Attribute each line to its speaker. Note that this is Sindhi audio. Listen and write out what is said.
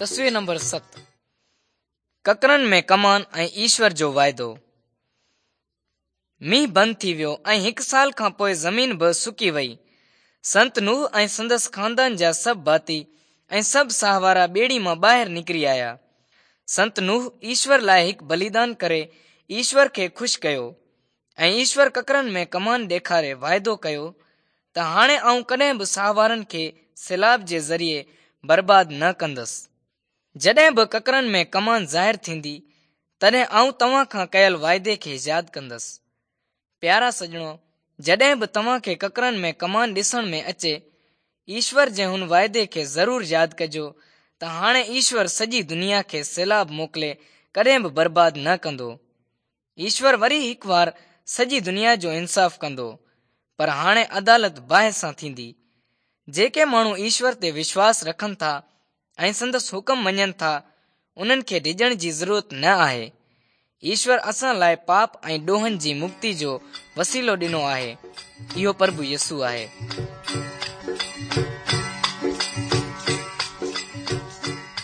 Speaker 1: تصوير نمبر 7 ڪڪرن ۾ ڪمان ۽ ايشور جو واعدو. مينهن بند ٿي ويو ۽ هڪ سال کان پوء زمين به سڪي وئي. سنت نوح ۽ سندس خاندان جا سڀ ڀاتي ۽ سڀ ساهوارا ٻيڙي مان ٻاهر نڪري آيا. سنت نوح ايشور لاء هڪ بليدان ڪري ايشور کي خوش ڪيو ۽ ايشور ڪڪرن ۾ ڪمان ڏيکاري واعدو ڪيو ته هاڻي آئون ڪڏهن به ساهوارن کي سيلاب جي ذريعي برباد نه ڪندس. جڏهن به ڪڪرن ۾ ڪمان ظاهر ٿيندي، تڏهن آئون توهان کان ڪيل واعدي کي ياد ڪندس. پيارا سڄڻو، جڏهن به توهان کي ڪڪرن ۾ ڪمان ڏسڻ ۾ اچي، ايشور جي هن واعدي کي ضرور ياد ڪجو ته هاڻي ايشور سڄي دنيا کي سيلاب موڪلي ڪڏهن به برباد نه ڪندو. ايشور وري هڪ وار سڄي دنيا جو انصاف ڪندو، پر هاڻي عدالت باهه سان ٿيندي. جيڪي ماڻهو ايشور تي وشواس رکن ٿا ۽ سندس حڪم مڃن ٿا، انهن کي ڊڄڻ جي ضرورت نه آهي. ايشور اسان لاء پاپ ۽ ڏوهن جي مڪتي جو وسيلو ڏنو آهي، اهو پرڀو يسوع آهي.